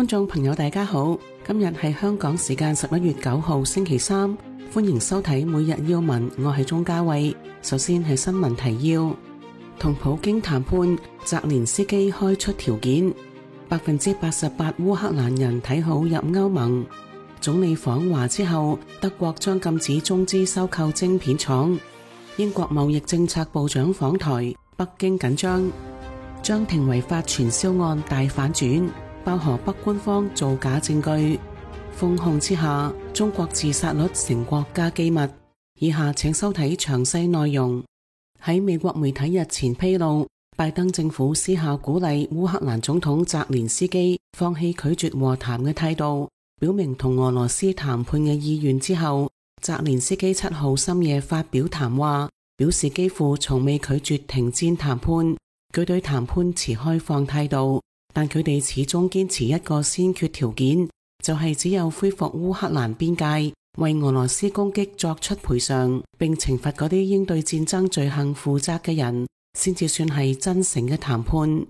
觀眾朋友大家好，今日係香港時間11月9號星期三，歡迎收睇每日要聞，我係鍾嘉慧。首先係新聞提要，同普京談判，澤連斯基開出條件，88%烏克蘭人睇好入歐盟。總理訪華之後，德國將禁止中資收購晶片廠。英國貿易政策部長訪台，北京緊張。張庭違法傳銷案大反轉，爆河北官方造假證據。封控之下，中國自殺率成國家機密。以下請收睇詳細內容。喺美國媒體日前披露，拜登政府私下鼓勵烏克蘭總統澤連斯基放棄拒絕和談嘅態度，表明同俄羅斯談判嘅意願之後，澤連斯基7號深夜發表談話，表示幾乎從未拒絕停戰談判。佢對談判持開放態度，但佢哋始終堅持一個先決條件，就係只有恢復烏克蘭邊界，為俄羅斯攻擊作出賠償，並懲罰嗰啲應對戰爭罪行負責嘅人，先至算係真誠嘅談判。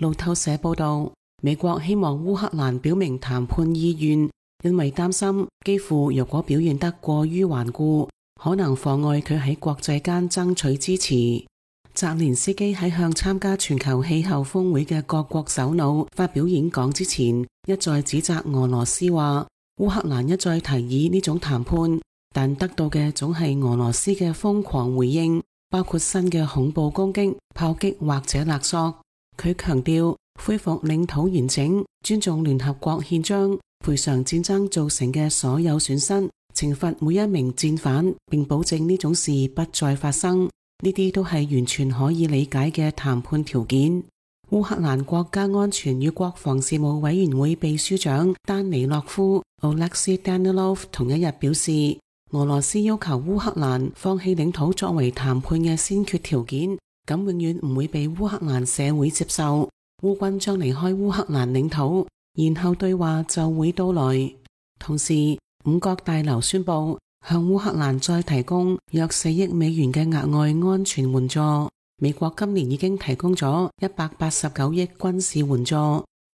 路透社報道，美國希望烏克蘭表明談判意願，因為擔心基輔若果表現得過於頑固，可能妨礙佢喺國際間爭取支持。澤連斯基喺向參加全球氣候峰會嘅各國首腦發表演講之前，一再指責俄羅斯話，烏克蘭一再提議呢種談判，但得到嘅總係俄羅斯嘅瘋狂回應，包括新嘅恐怖攻擊、炮擊或者勒索。佢強調恢復領土完整、尊重聯合國憲章、賠償戰爭造成嘅所有損失、懲罰每一名戰犯，並保證呢種事不再發生。呢啲都係完全可以理解嘅談判條件。烏克蘭國家安全與國防事務委員會秘書長丹尼洛夫 Oleksiy Danilov 同一日表示，俄羅斯要求烏克蘭放棄領土作為談判嘅先決條件，咁永遠唔會被烏克蘭社會接受。烏軍將離開烏克蘭領土，然後對話就會到來。同時，五角大樓宣布向烏克蘭再提供約4億美元嘅額外安全援助。美國今年已經提供咗189億軍事援助，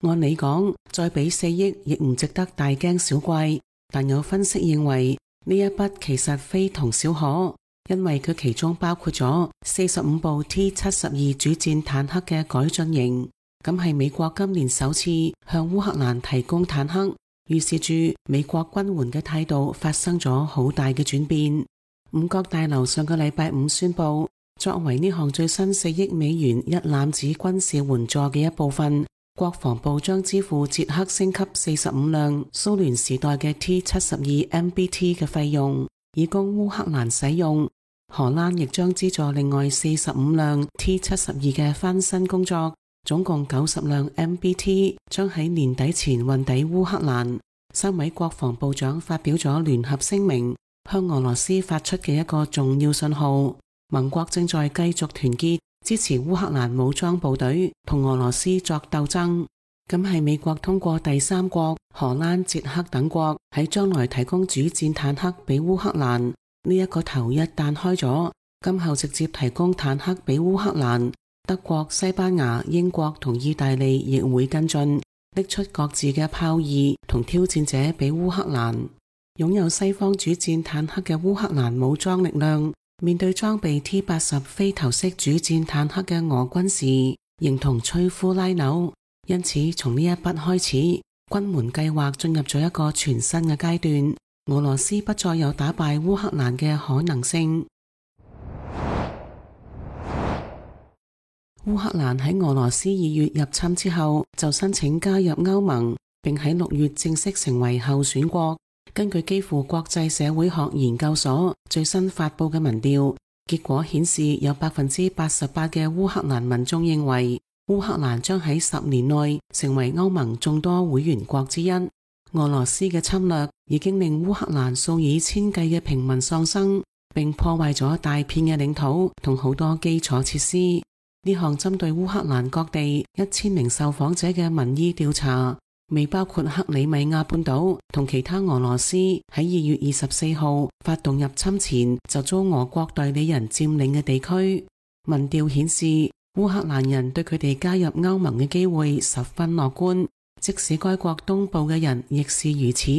按理講再俾4億亦唔值得大驚小怪，但有分析認為呢一筆其實非同小可，因為佢其中包括咗45部 T-72 主戰坦克嘅改進型，咁係美國今年首次向烏克蘭提供坦克。預示住美國軍援嘅態度發生咗好大嘅轉變。五角大樓上個禮拜五宣布，作為呢項最新4億美元一攬子軍事援助嘅一部分，國防部將支付捷克升級45輛蘇聯時代嘅 T-72 MBT 嘅費用，以供烏克蘭使用。荷蘭亦將資助另外45輛 T-72 嘅翻新工作。總共90輛 MBT 將喺年底前運抵烏克蘭。3位國防部長發表咗聯合聲明，向俄羅斯發出嘅一個重要信號。盟國正在繼續團結支持烏克蘭武裝部隊同俄羅斯作鬥爭。咁係美國通過第三國荷蘭、捷克等國喺將來提供主戰坦克俾烏克蘭。呢一個頭一旦開咗，今後直接提供坦克俾烏克蘭。德國、西班牙、英國同意大利亦會跟進，拎出各自嘅豹二同挑戰者俾烏克蘭。擁有西方主戰坦克嘅烏克蘭武裝力量，面對裝備 T-80 飛頭式主戰坦克嘅俄軍時，形同摧枯拉朽。因此，從呢一筆開始，軍援計劃進入咗一個全新嘅階段。俄羅斯不再有打敗烏克蘭嘅可能性。烏克蘭喺俄羅斯2月入侵之後，就申請加入歐盟，並喺6月正式成為候選國。根據基輔國際社會學研究所最新發佈嘅民調，結果顯示有88%嘅烏克蘭民眾認為，烏克蘭將喺10年內成為歐盟眾多會員國之一。俄羅斯嘅侵略已經令烏克蘭數以千計嘅平民喪生，並破壞咗大片嘅領土同好多基礎設施。呢項針對烏克蘭各地1000名受訪者嘅民意調查，未包括克里米亞半島同其他俄羅斯喺2月24號發動入侵前就遭俄國代理人佔領嘅地區。民調顯示，烏克蘭人對佢哋加入歐盟嘅機會十分樂觀，即使該國東部嘅人亦是如此。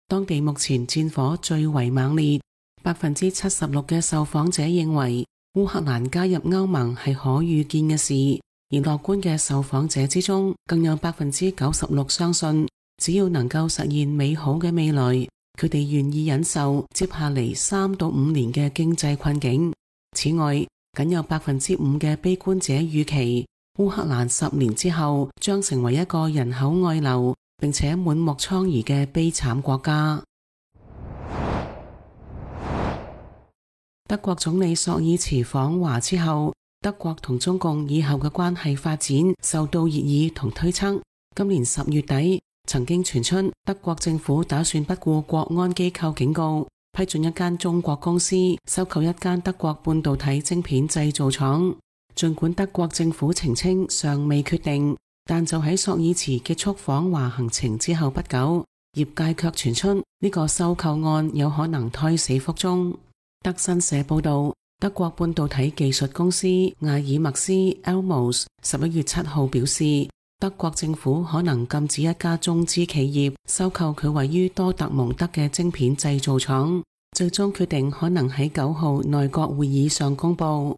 當地目前戰火最為猛烈，76%嘅受訪者認為烏克蘭加入歐盟係可預見嘅事，而樂觀嘅受訪者之中，更有96%相信只要能夠實現美好嘅未來，佢哋願意忍受接下嚟3到5年嘅經濟困境。此外，僅有5%嘅悲觀者預期烏克蘭10年之後將成為一個人口外流並且滿目瘡痍嘅悲慘國家。德國總理朔爾茨訪華之後，德國同中共以後嘅關係發展受到熱議同推測。今年10月底，曾經傳出德國政府打算不顧國安機構警告，批准一間中國公司收購一間德國半導體晶片製造廠。儘管德國政府澄清尚未決定，但就喺朔爾茨結束訪華行程之後不久，業界卻傳出呢個收購案有可能胎死腹中。德新社報道，德國半導體技術公司艾爾默斯 Elmos 11月7號表示，德國政府可能禁止一家中資企業收購佢位於多特蒙德嘅晶片製造廠，最終決定可能喺9號內閣會議上公佈。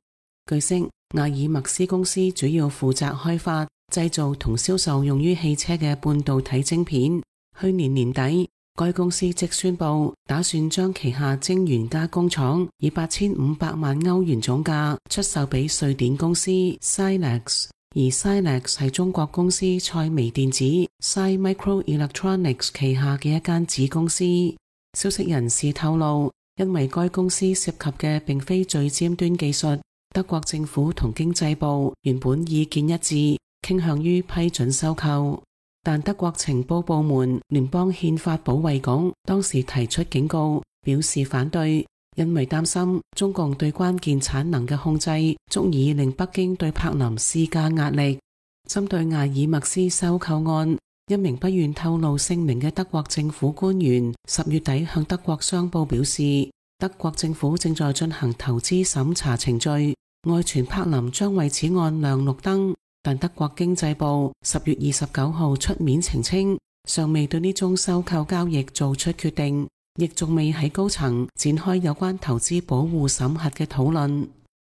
據悉，艾爾默斯公司主要負責開發、製造同銷售用於汽車嘅半導體晶片。去年年底，該公司即宣布打算將旗下晶圓加工廠以8500萬歐元總價出售俾瑞典公司 Silex， 而 Silex 係中國公司賽微電子 Sai Microelectronics 旗下嘅一間子公司。消息人士透露，因為該公司涉及嘅並非最尖端技術，德國政府同經濟部原本意見一致，傾向於批准收購。但德國情報部門聯邦憲法保衛局當時提出警告，表示反對，因為擔心中共對關鍵產能嘅控制足以令北京對柏林施加壓力。針對艾爾默斯收購案，一名不願透露姓名嘅德國政府官員10月底向德國商報表示，德國政府正在進行投資審查程序，外傳柏林將為此案亮綠燈。但德國經濟部10月29號出面澄清，尚未對呢宗收購交易做出決定，亦仲未喺高層展開有關投資保護審核嘅討論。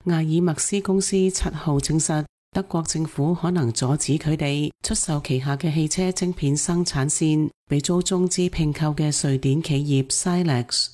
艾爾默斯公司7號證實，德國政府可能阻止佢哋出售旗下嘅汽車晶片生產線俾遭中資併購嘅瑞典企業 Silex。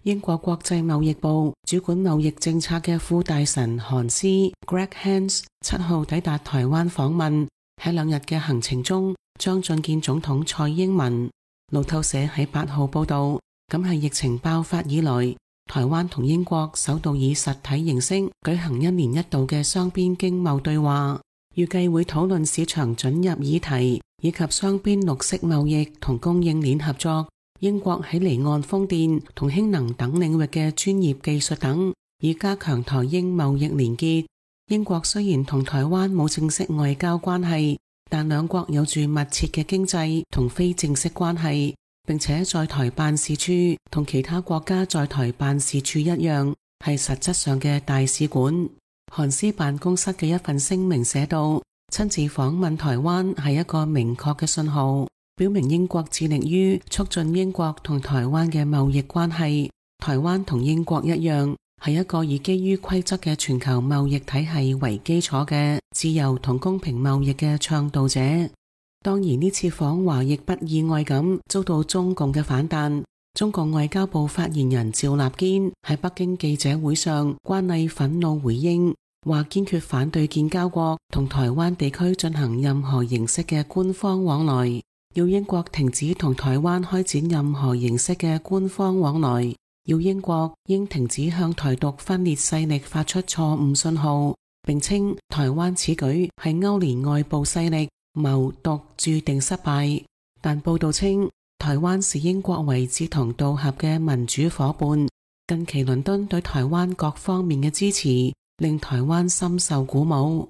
英國國際貿易部主管貿易政策嘅副大臣韓斯 Greg Hands 7號抵達台灣訪問，喺2日嘅行程中將進見總統蔡英文。路透社喺8號報道，咁係疫情爆發以來，台灣同英國首度以實體形式舉行1年1度嘅雙邊經貿對話，預計會討論市場准入議題以及雙邊綠色貿易同供應鏈合作。英國喺離岸風電同氫能等領域嘅專業技術等，以加強台英貿易連結。英國雖然同台灣冇正式外交關係，但兩國有住密切嘅經濟同非正式關係，並且在台辦事處同其他國家在台辦事處一樣，係實質上嘅大使館。韓斯辦公室嘅一份聲明寫道，親自訪問台灣係一個明確嘅信號，表明英國致力於促進英國同台灣嘅貿易關係。台灣同英國一樣，係一個以基於規則嘅全球貿易體系為基礎嘅自由同公平貿易嘅倡導者。當然呢次訪華亦不意外咁遭到中共嘅反彈。中共外交部發言人趙立堅喺北京記者會上慣例憤怒回應，話堅決反對建交國同台灣地區進行任何形式嘅官方往來，要英國停止同台灣開展任何形式嘅官方往來，要英國應停止向台獨分裂勢力發出錯誤信號，並稱台灣此舉係勾連外部勢力，謀獨注定失敗。但報道稱，台灣視英國為志同道合嘅民主夥伴。近期倫敦對台灣各方面嘅支持，令台灣深受鼓舞。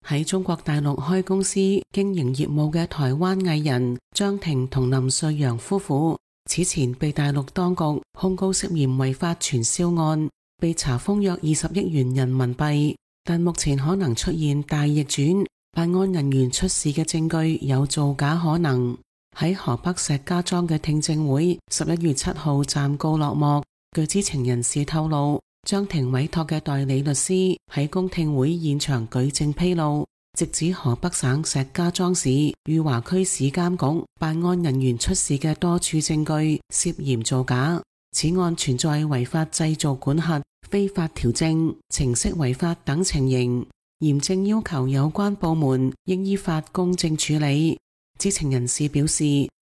喺中國大陸開公司經營業務嘅台灣藝人張庭同林瑞陽夫婦，此前被大陸當局控告涉嫌違法傳銷案，被查封約20億元人民幣，但目前可能出現大逆轉，辦案人員出示嘅證據有造假可能。喺河北石家莊嘅聽證會11月7號暫告落幕。據知情人士透露，張庭委託嘅代理律師喺公聽會現場舉證披露，直指河北省石家莊市裕華區市監局辦案人員出示嘅多處證據涉嫌造假，此案存在違法製造管轄、非法調證、程式違法等情形，嚴正要求有關部門應依法公正處理。知情人士表示，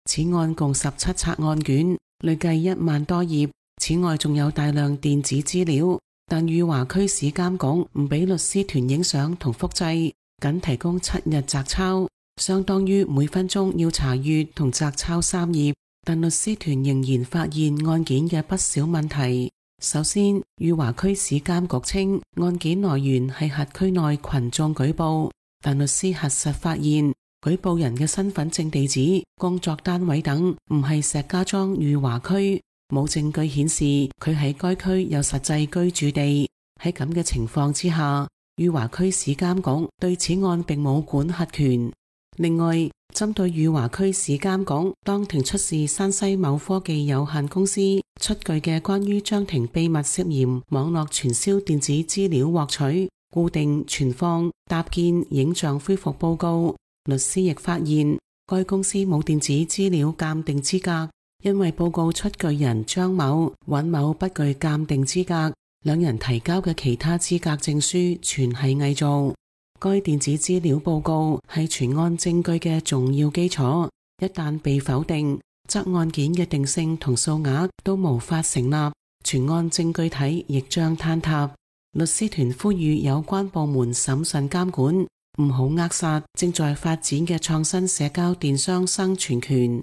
此案共17冊案卷，累計1萬多頁，此外仲有大量電子資料，但裕華區市監局唔俾律師團影相同複製，僅提供7日摘抄，相當於每分鐘要查閱同摘抄3頁，但律師團仍然發現案件嘅不少問題。首先，裕華區市監局稱案件來源係轄區內群眾舉報，但律師核實發現舉報人嘅身份證地址、工作單位等唔係石家莊裕華區，冇證據顯示佢喺該區有實際居住地。喺咁嘅情況之下，裕華區市監局對此案並冇管轄權。另外，針對裕華區市監局當庭出示山西某科技有限公司出具嘅關於張庭秘密涉嫌網絡傳銷電子資料獲取、固定、存放、搭建影像恢復報告，律師亦發現該公司冇電子資料鑑定資格，因為報告出具人張某、尹某不具鑑定資格，兩人提交嘅其他資格證書全係偽造。該電子資料報告係全案證據嘅重要基礎，一旦被否定，則案件嘅定性同數額都無法成立，全案證據體亦將坍塌。律師團呼籲有關部門審慎監管，唔好扼殺正在發展嘅創新社交電商生存權。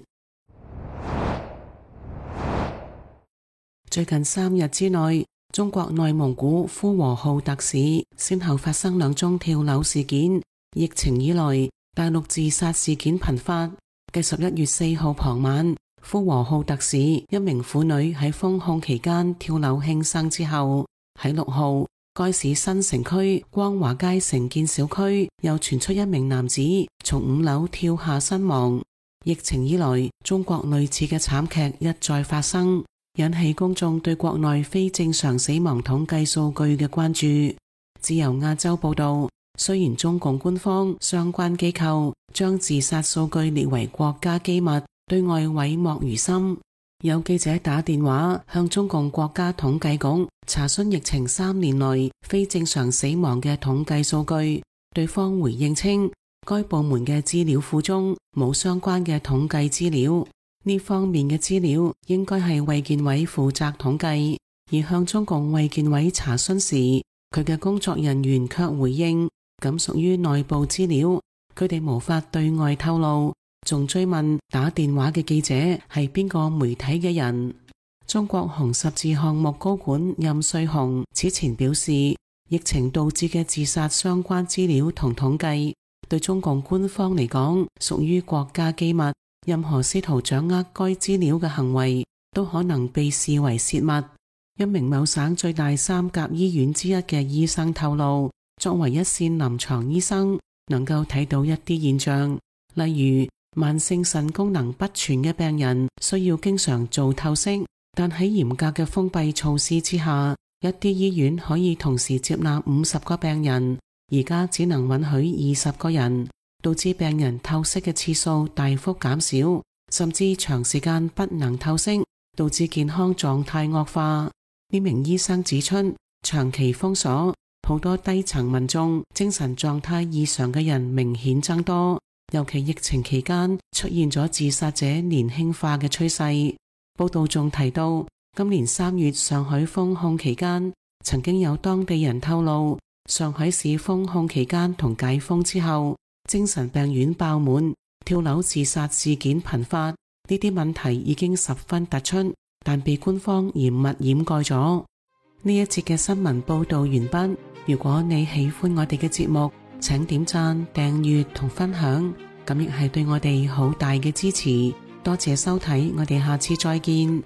最近3日之內，中國內蒙古呼和浩特市先後發生2宗跳樓事件。疫情以來，大陸自殺事件頻發。繼11月4號傍晚，呼和浩特市一名婦女喺封控期間跳樓輕生之後，喺6號，該市新城區光華街城建小區又傳出一名男子從5樓跳下身亡。疫情以來，中國類似嘅慘劇一再發生，引起公眾對國內非正常死亡統計數據嘅關注。自由亞洲報道，雖然中共官方相關機構將自殺數據列為國家機密，對外諱莫如深，有記者打電話向中共國家統計局查詢疫情3年內非正常死亡嘅統計數據，對方回應稱，該部門嘅資料庫中冇相關嘅統計資料。呢方面嘅資料應該係衛健委負責統計，而向中共衛健委查詢時，佢嘅工作人員卻回應咁屬於內部資料，佢哋無法對外透露，仲追問打電話嘅記者係邊個媒體嘅人。中國紅十字項目高管任瑞紅此前表示，疫情導致嘅自殺相關資料同統計對中共官方嚟講屬於國家機密，任何試圖掌握該資料嘅行為都可能被視為泄密。一名某省最大3甲醫院之一嘅醫生透露，作為一線臨床醫生，能夠睇到一啲現象，例如慢性腎功能不全嘅病人需要經常做透析，但喺嚴格嘅封閉措施之下，一啲醫院可以同時接納50個病人，而家只能允許20個人，導致病人透析嘅次數大幅減少，甚至長時間不能透析，導致健康狀態惡化。呢名醫生指出，長期封鎖，好多低層民眾精神狀態異常嘅人明顯增多，尤其疫情期間出現咗自殺者年輕化嘅趨勢。報道仲提到，今年3月上海封控期間，曾經有當地人透露，上海市封控期間同解封之後，精神病院爆滿，跳樓自殺事件頻發，呢啲問題已經十分突出，但被官方嚴密掩蓋咗。呢一節嘅新聞報道完畢。如果你喜歡我哋嘅節目，請點讚、訂閱同分享，咁亦係對我哋好大嘅支持。多謝收睇，我哋下次再見。